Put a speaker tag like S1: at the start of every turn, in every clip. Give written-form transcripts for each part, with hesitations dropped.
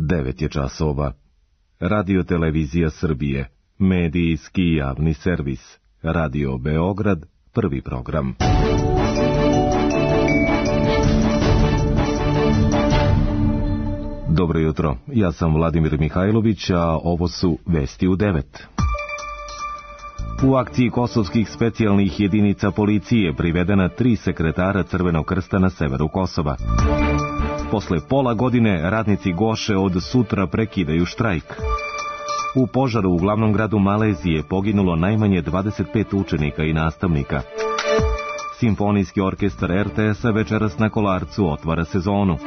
S1: 9 je časova. Radio Televizija Srbije, medijski javni servis. Radio Beograd, prvi program. Dobro jutro, ja sam Vladimir Mihajlović, a ovo su Vesti u 9. U akciji kosovskih specijalnih jedinica policije privedena 3 sekretara Crvenog krsta na severu Kosova. Posle pola godine radnici Goše od sutra prekidaju štrajk. U požaru u glavnom gradu Malezije poginulo najmanje 25 učenika i nastavnika. Simfonijski orkestar RTS-a večeras na Kolarcu otvara sezonu.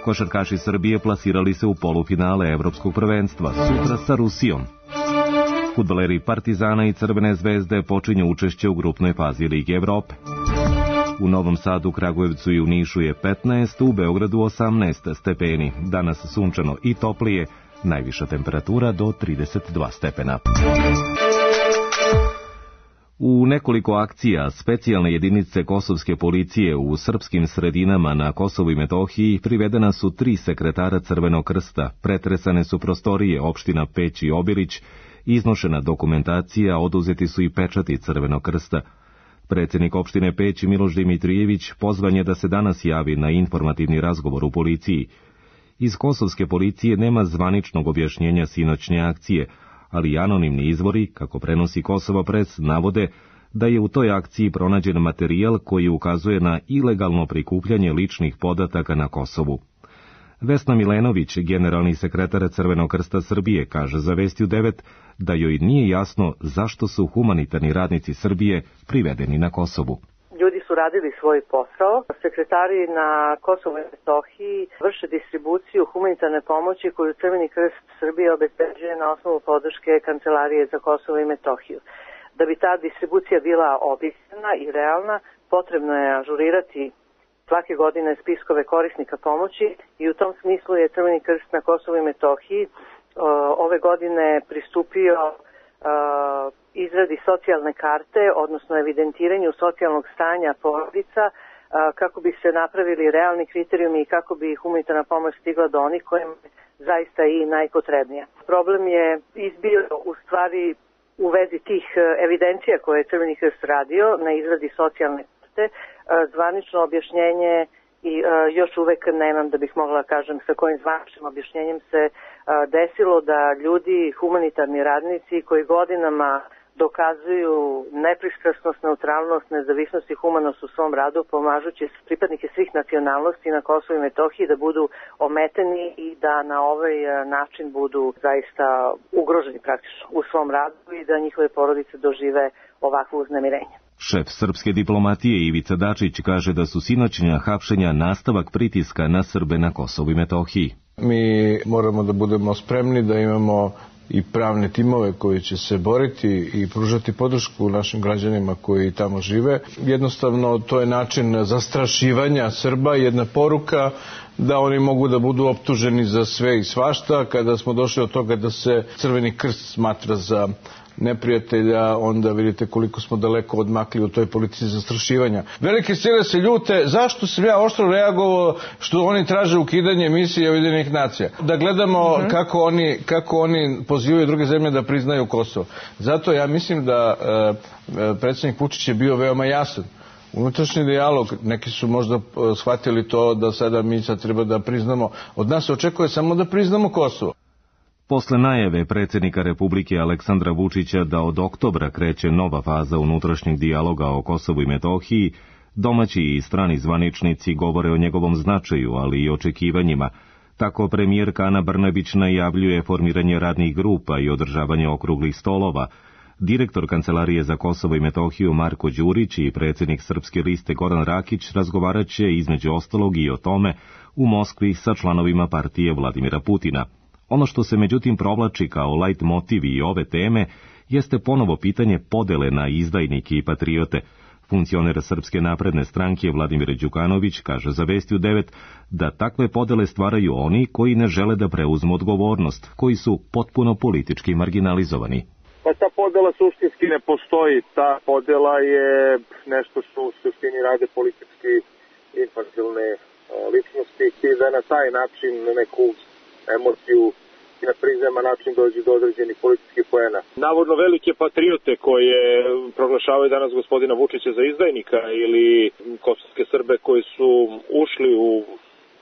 S1: Košarkaši Srbije plasirali se u polufinale Evropskog prvenstva, sutra sa Rusijom. Fudbaleri Partizana i Crvene zvezde počinju učešće u grupnoj fazi Lige Evrope. U Novom Sadu, Kragujevcu i u Nišu je 15, u Beogradu 18 stepeni. Danas sunčano i toplije, najviša temperatura do 32 stepena. U nekoliko akcija specijalne jedinice kosovske policije u srpskim sredinama na Kosovu i Metohiji privedena su 3 sekretara Crvenog krsta, pretresane su prostorije opština Peć i Obilić, iznošena dokumentacija, oduzeti su i pečati Crvenog krsta. Predsjednik opštine Peć Miloš Dimitrijević pozvan je da se danas javi na informativni razgovor u policiji. Iz kosovske policije nema zvaničnog objašnjenja sinoćnje akcije, ali anonimni izvori, kako prenosi Kosovo Pres, navode da je u toj akciji pronađen materijal koji ukazuje na ilegalno prikupljanje ličnih podataka na Kosovu. Vesna Milenović, generalni sekretar Crvenog krsta Srbije, kaže za Vesti u 9 da joj nije jasno zašto su humanitarni radnici Srbije privedeni na Kosovu.
S2: Ljudi su radili svoj posao. Sekretari na Kosovu i Metohiji vrše distribuciju humanitarne pomoći koju Crveni krst Srbije obezbeđuje na osnovu podrške Kancelarije za Kosovo i Metohiju. Da bi ta distribucija bila objektivna i realna, potrebno je ažurirati svake godine spiskove korisnika pomoći i u tom smislu je Crveni krst na Kosovu i Metohiji ove godine pristupio izradi socijalne karte, odnosno evidentiranju socijalnog stanja porodica, kako bi se napravili realni kriterijumi i kako bi humanitarna pomoć stigla do onih kojima je zaista i najpotrebnija. Problem je izbio u stvari u vezi tih evidencija koje je Crveni krst radio na izradi socijalne karte. Zvanično objašnjenje i još uvek nemam da bih mogla kažem sa kojim zvaničnim objašnjenjem se desilo da ljudi, humanitarni radnici koji godinama dokazuju nepristrasnost, neutralnost, nezavisnost i humanost u svom radu, pomažući pripadnike svih nacionalnosti na Kosovu i Metohiji da budu ometeni i da na ovaj način budu zaista ugroženi praktično u svom radu i da njihove porodice dožive ovakvo uznemirenje.
S1: Šef srpske diplomatije Ivica Dačić kaže da su sinoćnja hapšenja nastavak pritiska na Srbe na Kosovu i Metohiji.
S3: Mi moramo da budemo spremni, da imamo i pravne timove koji će se boriti i pružati podršku našim građanima koji tamo žive. Jednostavno, to je način zastrašivanja Srba, jedna poruka da oni mogu da budu optuženi za sve i svašta. Kada smo došli od toga da se Crveni krst smatra za neprijatelja, onda vidite koliko smo daleko odmakli u toj politici zastrašivanja. Velike sile se ljute, zašto sam ja oštro reagovao što oni traže ukidanje misije Ujedinjenih nacija? Da gledamo kako oni pozivaju druge zemlje da priznaju Kosovo. Zato ja mislim da predsjednik Vučić je bio veoma jasan. Unutrašnji dijalog, neki su možda shvatili to da sada mi sad treba da priznamo, od nas se očekuje samo da priznamo Kosovo.
S1: Posle najave predsjednika Republike Aleksandra Vučića da od oktobra kreće nova faza unutrašnjeg dijaloga o Kosovu i Metohiji, domaći i strani zvaničnici govore o njegovom značaju, ali i očekivanjima. Tako premijerka Ana Brnabić najavljuje formiranje radnih grupa i održavanje okruglih stolova. Direktor Kancelarije za Kosovo i Metohiju Marko Đurić i predsjednik Srpske liste Goran Rakić razgovarat će između ostalog i o tome u Moskvi sa članovima partije Vladimira Putina. Ono što se međutim provlači kao lajt motiv i ove teme jeste ponovo pitanje podele na izdajnike i patriote. Funkcioner Srpske napredne stranke Vladimir Đukanović kaže za Vesti u 9 da takve podele stvaraju oni koji ne žele da preuzmu odgovornost, koji su potpuno politički marginalizovani.
S4: Pa ta podela suštinski ne postoji. Ta podela je nešto što u suštini rade politički infantilne ličnosti i da na taj način neku emociju i na prizeman način dođe do određenih političkih poena. Navodno velike patriote koje proglašavaju danas gospodina Vučića za izdajnika ili kosovske Srbe koji su ušli u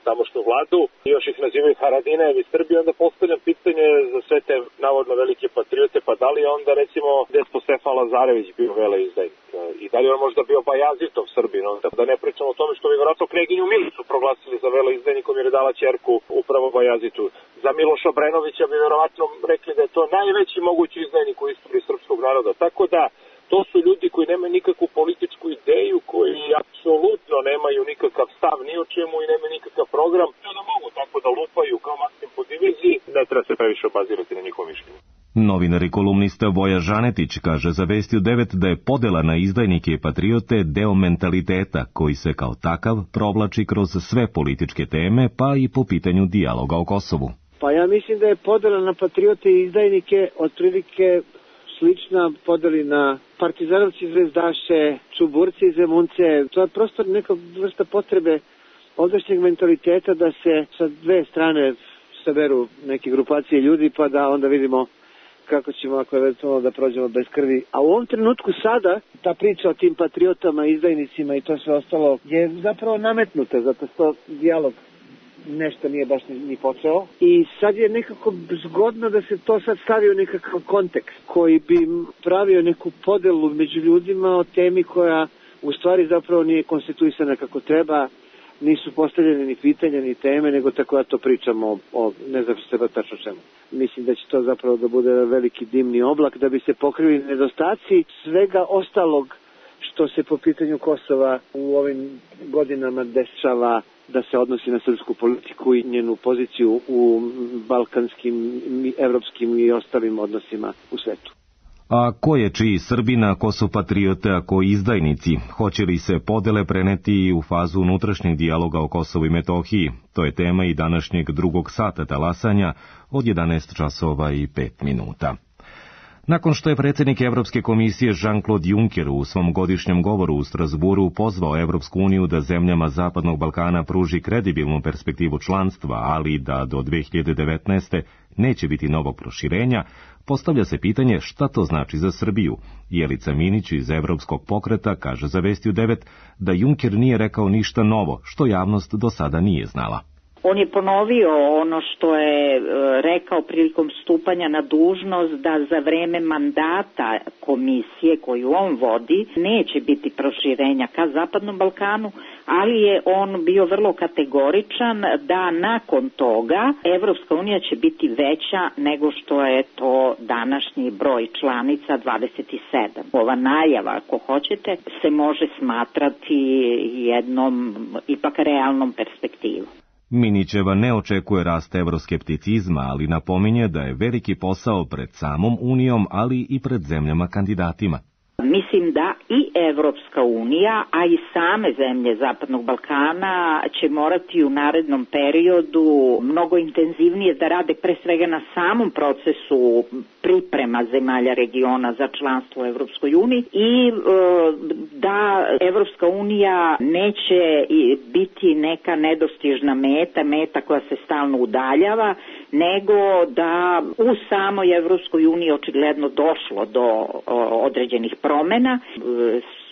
S4: tamošnju vladu i još ih nazivaju Haradinajevi Srbi, onda postavljam pitanje za sve te navodno velike patriote, pa da li je onda recimo Despo Stefan Lazarević bio veleizdajnik i da li je on možda bio Bajazitov Srbin, da ne pričamo o tome što bi vjerojatno Kneginju Milicu proglasili za veleizdajnikom jer je dala ćerku upravo Bajazitu. Za Miloša Obrenovića bi vjerojatno rekli da je to najveći mogući izdajnik u istoriji srpskog naroda, tako da to su ljudi koji nemaju nikakvu političku ideju, koji apsolutno nemaju nikakav stav ni o čemu i nemaju nikakav program. Da mogu tako da lupaju kao Maksim po diviziji, ne treba se previše obazirati na njihovo mišljenje.
S1: Novinar i kolumnista Voja Žanetić kaže za Vestiju 9 da je podela na izdajnike i patriote deo mentaliteta koji se kao takav provlači kroz sve političke teme, pa i po pitanju dijaloga o Kosovu.
S5: Pa ja mislim da je podela na patriote i izdajnike otprilike slična podeli na partizanovci, zvezdaše, čuburci i zemunce. To je prosto neka vrsta potrebe ovdašnjeg mentaliteta da se sa dve strane saberu neke grupacije ljudi pa da onda vidimo kako ćemo ako eventualno da prođemo bez krvi. A u ovom trenutku sada ta priča o tim patriotama, izdajnicima i to sve ostalo je zapravo nametnuta zato što dijalog nešto nije baš ni počeo i sad je nekako zgodno da se to sad stavi u nekakav kontekst koji bi pravio neku podelu među ljudima o temi koja u stvari zapravo nije konstituisana kako treba, nisu postavljene ni pitanja ni teme, nego tako da to pričamo o ne znam što tačno čemu. Mislim da će to zapravo da bude veliki dimni oblak da bi se pokrili nedostaci svega ostalog što se po pitanju Kosova u ovim godinama dešava da se odnosi na srpsku politiku i njenu poziciju u balkanskim, evropskim i ostalim odnosima u svetu.
S1: A ko je čiji Srbina, ko su patriote, a ko izdajnici? Hoće li se podele preneti u fazu unutrašnjeg dijaloga o Kosovu i Metohiji? To je tema i današnjeg drugog sata talasanja od 11 časova i 5 minuta. Nakon što je predsjednik Evropske komisije Jean-Claude Juncker u svom godišnjem govoru u Strasburu pozvao Evropsku uniju da zemljama Zapadnog Balkana pruži kredibilnu perspektivu članstva, ali da do 2019. neće biti novog proširenja, postavlja se pitanje šta to znači za Srbiju. Jelica Minić iz Evropskog pokreta kaže za Vestiju 9 da Juncker nije rekao ništa novo, što javnost do sada nije znala.
S6: On je ponovio ono što je rekao prilikom stupanja na dužnost da za vreme mandata komisije koju on vodi neće biti proširenja ka Zapadnom Balkanu, ali je on bio vrlo kategoričan da nakon toga Evropska unija će biti veća nego što je to današnji broj članica 27. Ova najava, ako hoćete, se može smatrati jednom ipak realnom perspektivom.
S1: Minićeva ne očekuje rast evroskepticizma, ali napominje da je veliki posao pred samom Unijom, ali i pred zemljama kandidatima.
S6: Mislim da i Evropska unija, a i same zemlje Zapadnog Balkana će morati u narednom periodu mnogo intenzivnije da rade pre svega na samom procesu priprema zemalja regiona za članstvo u Evropskoj uniji i da Evropska unija neće biti neka nedostižna meta koja se stalno udaljava, nego da u samoj Evropskoj uniji očigledno došlo do određenih promjena,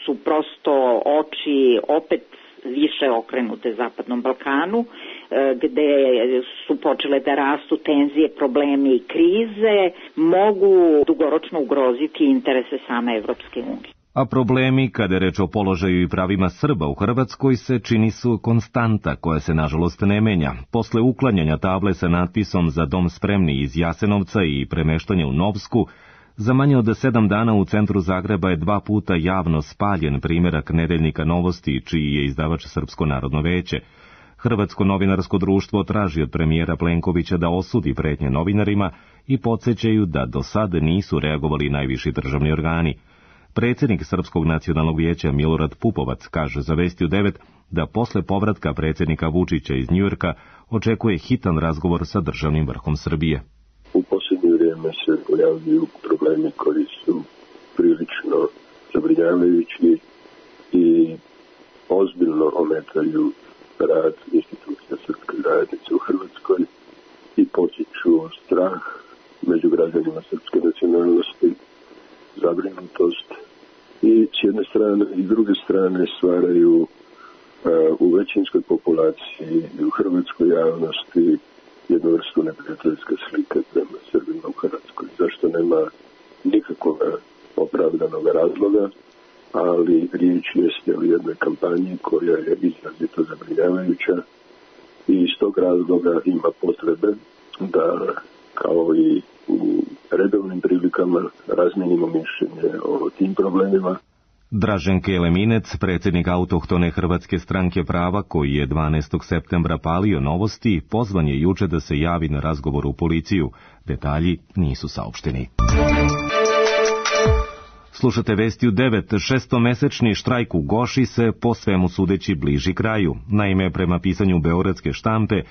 S6: su prosto oči opet više okrenute Zapadnom Balkanu, gde su počele da rastu tenzije, problemi i krize, mogu dugoročno ugroziti interese same Evropske unije.
S1: A problemi, kada je reč o položaju i pravima Srba u Hrvatskoj, se čini su konstanta koja se nažalost ne menja. Posle uklanjanja table sa natpisom za dom spremni iz Jasenovca i premeštanja u Novsku, za manje od 7 dana u centru Zagreba je 2 puta javno spaljen primjerak nedeljnika Novosti, čiji je izdavač Srpsko narodno veće. Hrvatsko novinarsko društvo traži od premijera Plenkovića da osudi pretnje novinarima i podsjećaju da do sad nisu reagovali najviši državni organi. Predsjednik Srpskog nacionalnog vijeća Milorad Pupovac kaže za Vestiju 9 da posle povratka predsjednika Vučića iz Njujorka očekuje hitan razgovor sa državnim vrhom Srbije.
S7: U posljednje vrijeme se pojavljuju problemi koji su prilično zabrinjavajući i ozbiljno ometaju rad institucija srpske zajednice u Hrvatskoj i strane i druge strane stvaraju u većinskoj populaciji i u hrvatskoj javnosti jednu vrstu neprijateljske slike prema Srbima u Hrvatskoj. Zašto nema nikakvog opravdanog razloga, ali riječ jeste o jednoj kampanji koja je izrazito zabrinjavajuća i iz tog razloga ima potrebe da, kao i u redovnim prilikama, razmijenimo mišljenje o tim problemima.
S1: Dražen Keleminec, predsjednik autohtone Hrvatske stranke prava, koji je 12. septembra palio Novosti, pozvan je juče da se javi na razgovor u policiju. Detalji nisu saopšteni. Slušate vesti u 9. Šestomesečni štrajk u Goši se po svemu sudeći bliži kraju. Naime, prema pisanju beogradske štampe,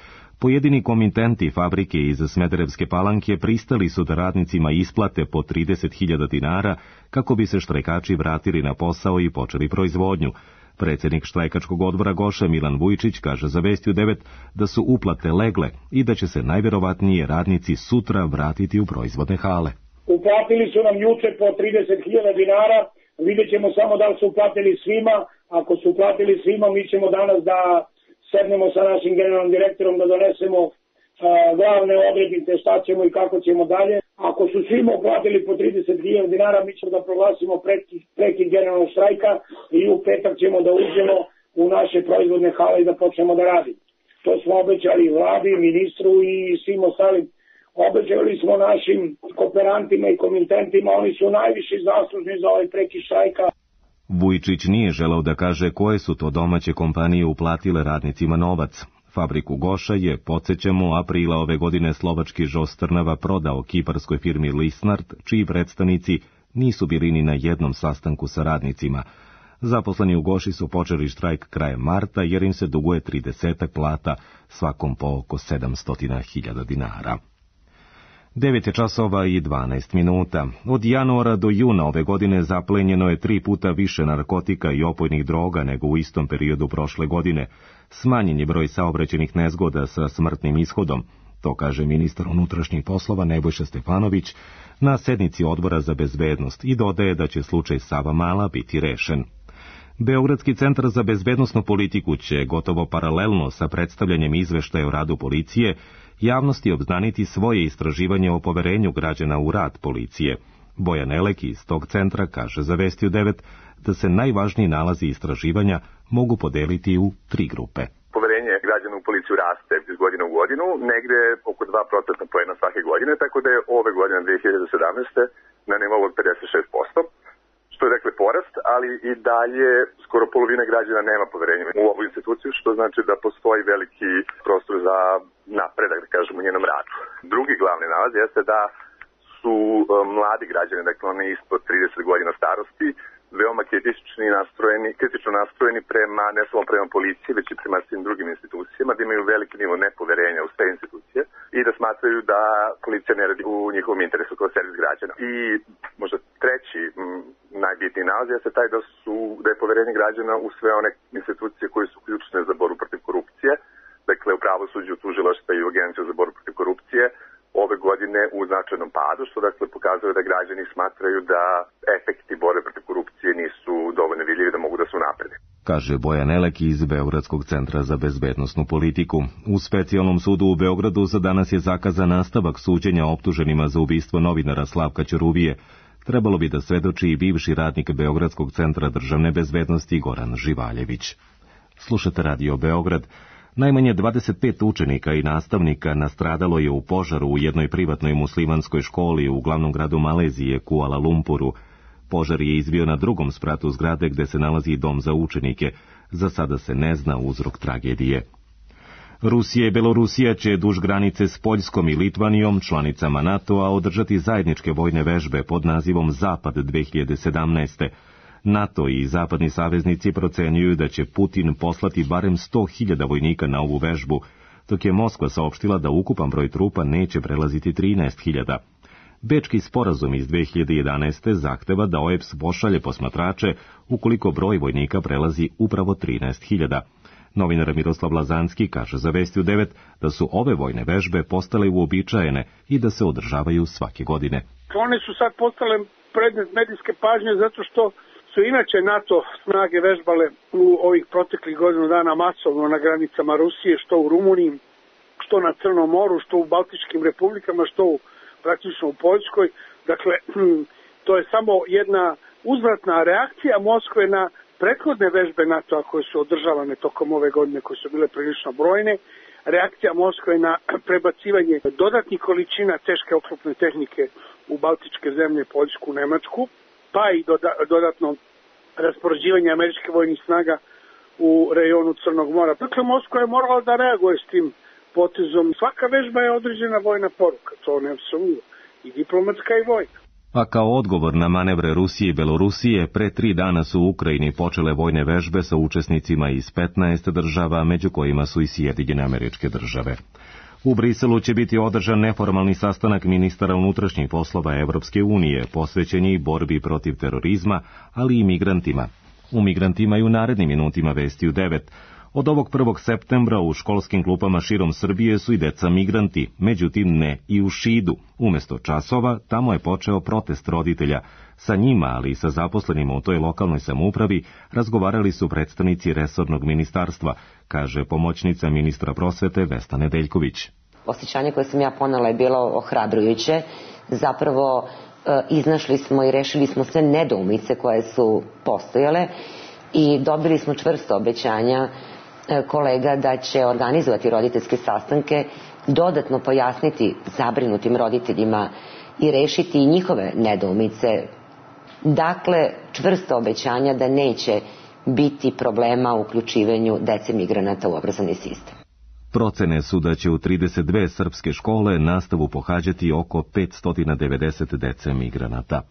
S1: pojedini komitenti fabrike iz Smederevske Palanke pristali su da radnicima isplate po 30.000 dinara kako bi se štrajkači vratili na posao i počeli proizvodnju. Predsjednik štrajkačkog odbora Goše Milan Vujčić kaže za vesti u 9 da su uplate legle i da će se najvjerovatnije radnici sutra vratiti u proizvodne hale.
S8: Uplatili su nam juče po 30.000 dinara, vidjet ćemo samo da li su uplatili svima. Ako su uplatili svima, mi ćemo danas da sednemo sa našim generalnim direktorom da donesemo glavne odrednice šta ćemo i kako ćemo dalje. Ako su svima uplatili po 30.000 dinara, mi ćemo da proglasimo prekid generalnog štrajka i u petak ćemo da uđemo u naše proizvodne hale i da počnemo da radimo. To smo obećali vladi, ministru i svim ostalim. Obećali smo našim kooperantima i komitentima, oni su najviše zaslužni za ovaj prekid štrajka.
S1: Vujčić nije želeo da kaže koje su to domaće kompanije uplatile radnicima novac. Fabriku Goša je, podsjećamo, aprila ove godine slovački Žos Trnava prodao kiparskoj firmi Lisnard, čiji predstavnici nisu bili ni na jednom sastanku sa radnicima. Zaposleni u Goši su počeli štrajk krajem marta jer im se duguje 30 plata, svakom po oko 700.000 dinara. 9 časova i 12 minuta. Od januara do juna ove godine zaplenjeno je 3 puta više narkotika i opojnih droga nego u istom periodu prošle godine. Smanjen je broj saobraćajnih nezgoda sa smrtnim ishodom. To kaže ministar unutrašnjih poslova Nebojša Stefanović na sednici Odbora za bezbednost i dodaje da će slučaj Savamala biti rešen. Beogradski centar za bezbednosnu politiku će, gotovo paralelno sa predstavljanjem izveštaja o radu policije, javnosti obznaniti svoje istraživanje o poverenju građana u rad policije. Bojan Elek iz tog centra kaže za vesti u 9 da se najvažniji nalazi istraživanja mogu podeliti u 3 grupe.
S9: Poverenje građana u policiju raste iz godine u godinu, negde oko 2% poena svake godine, tako da je ove godine 2017. na nivou od 56%. Što je dakle porast, ali i dalje skoro polovina građana nema poverenja u ovu instituciju, što znači da postoji veliki prostor za napredak, da kažemo, u njenom radu. Drugi glavni nalaz jeste da su mladi građani, dakle oni ispod 30 godina starosti, veoma kritično nastrojeni prema, ne samo prema policiji, već i prema svim drugim institucijama, da imaju veliki nivo nepoverenja u sve institucije i da smatraju da policija ne radi u njihovom interesu kao servis građana. I možda treći najbitniji nalaz jeste taj da je poverenje građana u sve one institucije koje su ključne za borbu protiv korupcije, dakle u pravosuđu, tužilaštva i u Agenciju za borbu protiv korupcije, ove godine u značajnom padu, što dakle pokazuje da građani smatraju da efekti borbe protiv korupcije nisu dovoljno vidljivi da mogu da su naprede.
S1: Kaže Bojan Elek iz Beogradskog centra za bezbednosnu politiku. U specijalnom sudu u Beogradu za danas je zakazan nastavak suđenja optuženima za ubistvo novinara Slavka Ćuruvije. Trebalo bi da svedoči i bivši radnik Beogradskog centra državne bezbednosti Goran Živaljević. Slušate Radio Beograd. Najmanje 25 učenika i nastavnika nastradalo je u požaru u jednoj privatnoj muslimanskoj školi u glavnom gradu Malezije, Kuala Lumpuru. Požar je izbio na drugom spratu zgrade gde se nalazi dom za učenike. Za sada se ne zna uzrok tragedije. Rusija i Belorusija će duž granice s Poljskom i Litvanijom, članicama NATO-a, održati zajedničke vojne vežbe pod nazivom Zapad 2017. NATO i zapadni saveznici procenjuju da će Putin poslati barem 100.000 vojnika na ovu vežbu, dok je Moskva saopštila da ukupan broj trupa neće prelaziti 13.000. Bečki sporazum iz 2011. zahteva da OEBS pošalje posmatrače ukoliko broj vojnika prelazi upravo 13.000. Novinar Miroslav Lazanski kaže za vesti u 9 da su ove vojne vežbe postale uobičajene i da se održavaju svake godine.
S8: One su sad postale predmet medijske pažnje zato što su
S10: su inače NATO snage vežbale u ovih proteklih godinu dana masovno na granicama Rusije, što u Rumuniji, što na Crnom moru, što u Baltičkim republikama, što praktično u Poljskoj. Dakle, to je samo jedna uzvratna reakcija Moskve na prethodne vežbe NATO-a koje su održavane tokom ove godine, koje su bile prilično brojne. Reakcija Moskve na prebacivanje dodatnih količina teške oklopne tehnike u Baltičke zemlje, Poljsku, Nemačku, pa i dodatno raspoređivanje američkih vojnih snaga u rejonu Crnog mora. Dakle, Moskva je morala da reaguje s tim potezom. Svaka vežba je određena vojna poruka, to ne sumnjivo, i diplomatska i vojna.
S1: A kao odgovor na manevre Rusije i Belorusije, pre 3 dana su u Ukrajini počele vojne vežbe sa učesnicima iz 15 država, među kojima su i Sjedinjene Američke Države. U Briselu će biti održan neformalni sastanak ministara unutrašnjih poslova Evropske unije, posvećen je i borbi protiv terorizma, ali i migrantima. U migrantima i u narednim minutima vesti u 9. Od ovog 1. septembra u školskim klupama širom Srbije su i deca migranti, međutim ne i u Šidu. Umesto časova, tamo je počeo protest roditelja. Sa njima, ali i sa zaposlenima u toj lokalnoj samoupravi, razgovarali su predstavnici resornog ministarstva, kaže pomoćnica ministra prosvete Vesna Nedeljković.
S11: Osjećanje koje sam ja ponela je bilo ohrabrujuće. Zapravo iznašli smo i rešili smo sve nedoumice koje su postojale i dobili smo čvrsto obećanja kolega da će organizovati roditeljske sastanke, dodatno pojasniti zabrinutim roditeljima i rešiti i njihove nedoumice. Dakle, čvrsto obećanja da neće biti problema u uključivanju dece migranata u obrazovni sistem.
S1: Procene su da će u 32 srpske škole nastavu pohađati oko 590 dece migranata.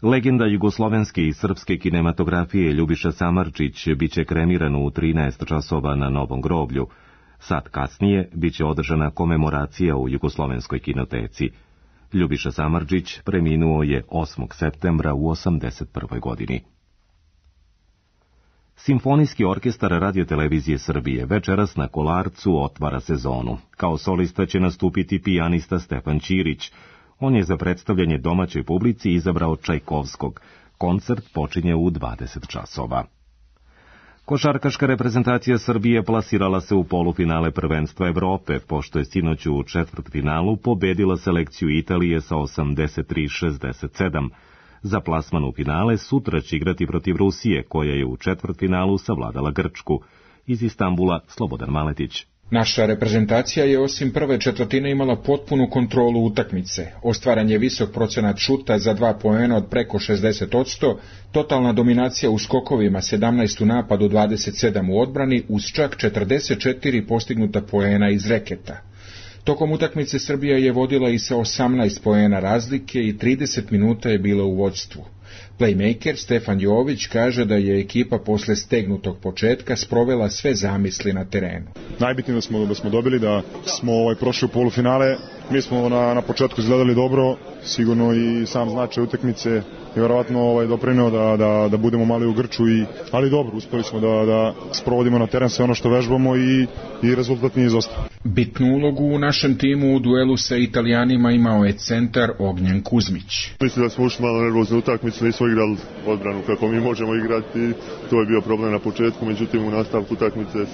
S1: Legenda jugoslovenske i srpske kinematografije Ljubiša Samardžić biće kremiran u 13 časova na Novom groblju. Sat kasnije biće održana komemoracija u Jugoslovenskoj kinoteci. Ljubiša Samardžić preminuo je 8. septembra u 81. godini. Simfonijski orkestar Radio-televizije Srbije večeras na Kolarcu otvara sezonu. Kao solista će nastupiti pijanista Stefan Ćirić. On je za predstavljanje domaćoj publici izabrao Čajkovskog. Koncert počinje u 20 časova. Košarkaška reprezentacija Srbije plasirala se u polufinale prvenstva Evrope, pošto je sinoć u četvrtfinalu pobedila selekciju Italije sa 83-67. Za plasman u finale sutra će igrati protiv Rusije, koja je u četvrtfinalu savladala Grčku. Iz Istanbula, Slobodan Maletić.
S12: Naša reprezentacija je osim prve četvrtine imala potpunu kontrolu utakmice. Ostvaren je visok procenat šuta za 2 poena od preko 60%, totalna dominacija u skokovima 17 u napadu, 27 u odbrani, uz čak 44 postignuta poena iz reketa. Tokom utakmice Srbija je vodila i sa 18 poena razlike i 30 minuta je bila u vođstvu. Playmaker Stefan Jović kaže da je ekipa posle stegnutog početka sprovela sve zamisli na terenu.
S13: Najbitnije da smo dobili, da smo prošli u polufinale. Mi smo na početku izgledali dobro, sigurno i sam značaj utakmice je vjerovatno doprineo da budemo mali u grču, ali dobro, uspeli smo da sprovodimo na teren sve ono što vežbamo i rezultat nije izostao.
S12: Bitnu ulogu u našem timu u duelu sa Italijanima imao je centar Ognjen Kuzmić.
S14: Mislim da smo ušli malo nervozno utakmicu, nismo igrali odbranu kako mi možemo igrati, to je bio problem na početku, međutim u nastavku utakmice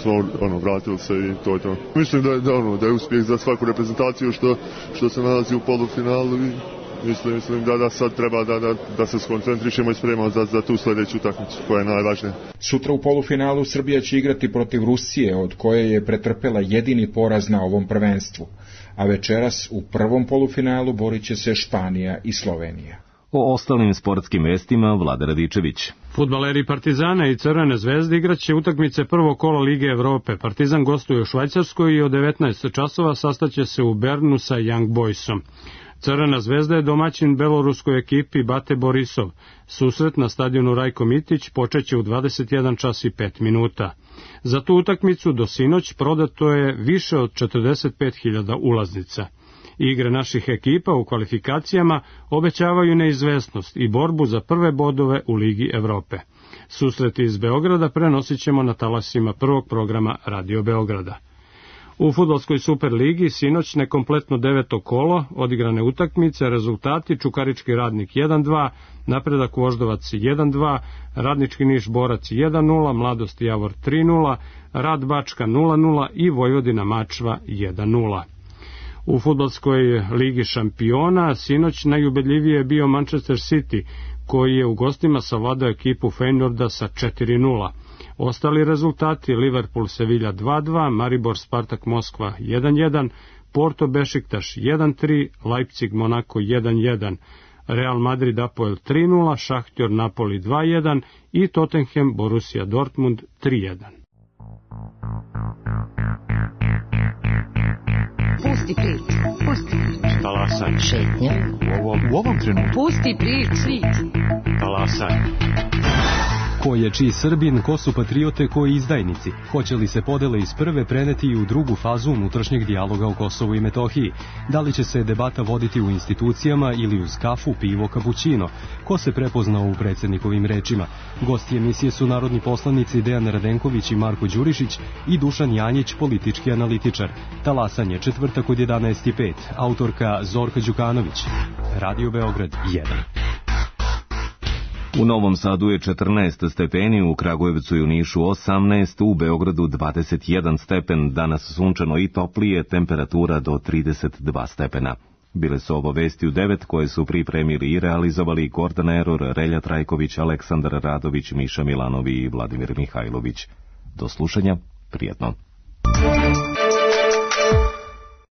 S14: smo vratili se i to je to. Mislim da je uspjeh za svaku reprezentaciju što se nalazi u polufinalu i mislim da sad treba da se skoncentrišemo i spremamo za tu sljedeću utakmicu koja je najvažnija.
S12: Sutra u polufinalu Srbija će igrati protiv Rusije, od koje je pretrpela jedini poraz na ovom prvenstvu, a večeras u prvom polufinalu borit će se Španija i Slovenija.
S1: O ostalim sportskim vestima Vlada Radičević.
S15: Fudbaleri Partizana i Crvene zvezde igraće utakmice prvog kola Lige Evrope. Partizan gostuje u Švajcarskoj i od 19 časova sastaće se u Bernu sa Young Boysom. Crvena zvezda je domaćin beloruskoj ekipi Bate Borisov. Susret na stadionu Rajko Mitić počeće u 21 čas i 5 minuta. Za tu utakmicu do sinoć prodato je više od 45.000 ulaznica. Igre naših ekipa u kvalifikacijama obećavaju neizvesnost i borbu za prve bodove u Ligi Evrope. Susreti iz Beograda prenosit ćemo na talasima prvog programa Radio Beograda. U fudbalskoj Superligi sinoć nekompletno 9. kolo, odigrane utakmice, rezultati: Čukarički Radnik 1-2, Napredak Voždovac 1-2, Radnički Niš Borac 1-0, Mladost Javor 3-0, Rad Bačka 0-0 i Vojvodina Mačva 1-0. U fudbalskoj Ligi šampiona sinoć najubedljivije je bio Manchester City, koji je u gostima savladao ekipu Feynorda sa 4-0. Ostali rezultati: Liverpool Sevilla 2-2, Maribor Spartak Moskva 1-1, Porto Bešiktaš 1-3, Leipzig Monako 1-1, Real Madrid Apoel 3-0, Šahtjor Napoli 2-1 i Tottenham Borussia Dortmund 3-1.
S16: Pusti priču, pusti priču.
S17: Talasaj.
S16: Šetnja.
S17: U ovom trenutku.
S16: Pusti priču.
S17: Talasaj.
S18: Ko je čiji Srbin, ko su patriote, ko i izdajnici? Hoće li se podele iz prve preneti i u drugu fazu unutrašnjeg dijaloga o Kosovu i Metohiji? Da li će se debata voditi u institucijama ili uz kafu, pivo, kapućino? Ko se prepoznao u predsjednikovim rečima? Gosti emisije su narodni poslanici Dejan Radenković i Marko Đurišić i Dušan Janjić, politički analitičar. Talasanje, četvrtak od 11:05. Autorka Zorka Đukanović. Radio Beograd 1.
S1: U Novom Sadu je 14 stepeni, u Kragujevcu i u Nišu 18, u Beogradu 21 stepen, danas sunčano i toplije, temperatura do 32 stepena. Bile su ovo vesti u 9 koje su pripremili i realizovali Gordana Eror, Relja Trajković, Aleksandar Radović, Miša Milanovi i Vladimir Mihajlović. Do slušanja, prijetno.